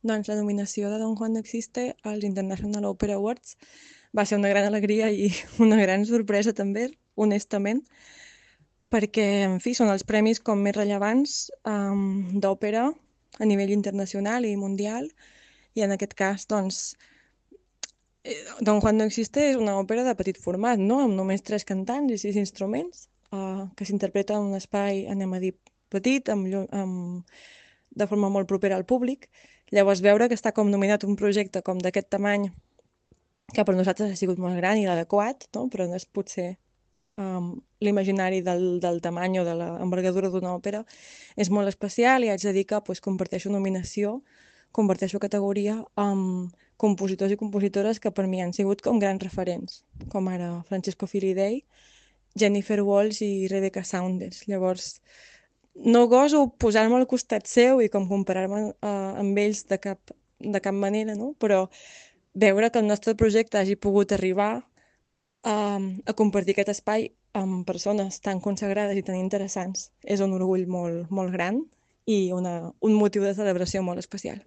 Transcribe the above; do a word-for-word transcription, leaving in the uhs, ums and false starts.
Doncs la nominació de Don Juan no existe als International Opera Awards va ser una gran alegria i una gran sorpresa també, honestament, perquè, en fi, són els premis com més rellevants um, d'òpera a nivell internacional i mundial, i en aquest cas, doncs, eh, Don Juan no existe és una òpera de petit format, no?, amb només tres cantants i sis instruments, uh, que s'interpreta en un espai, anem a dir, petit, amb, llu- amb, de forma molt propera al públic. Llavors, veure que està com nominat un projecte com d'aquest tamany, que per nosaltres ha sigut molt gran i l'adequat, no?, però no és potser um, l'imaginari del, del tamany o de l'envergadura d'una òpera, és molt especial i haig de dir que pues, comparteixo nominació, comparteixo categoria amb compositors i compositores que per mi han sigut com grans referents, com ara Francesco Filidei, Jennifer Walsh i Rebecca Saunders. Llavors, no goso posar-me al costat seu i com comparar-me uh, amb ells de cap, de cap manera, no? Però veure que el nostre projecte hagi pogut arribar a, a compartir aquest espai amb persones tan consagrades i tan interessants és un orgull molt, molt gran i una, un motiu de celebració molt especial.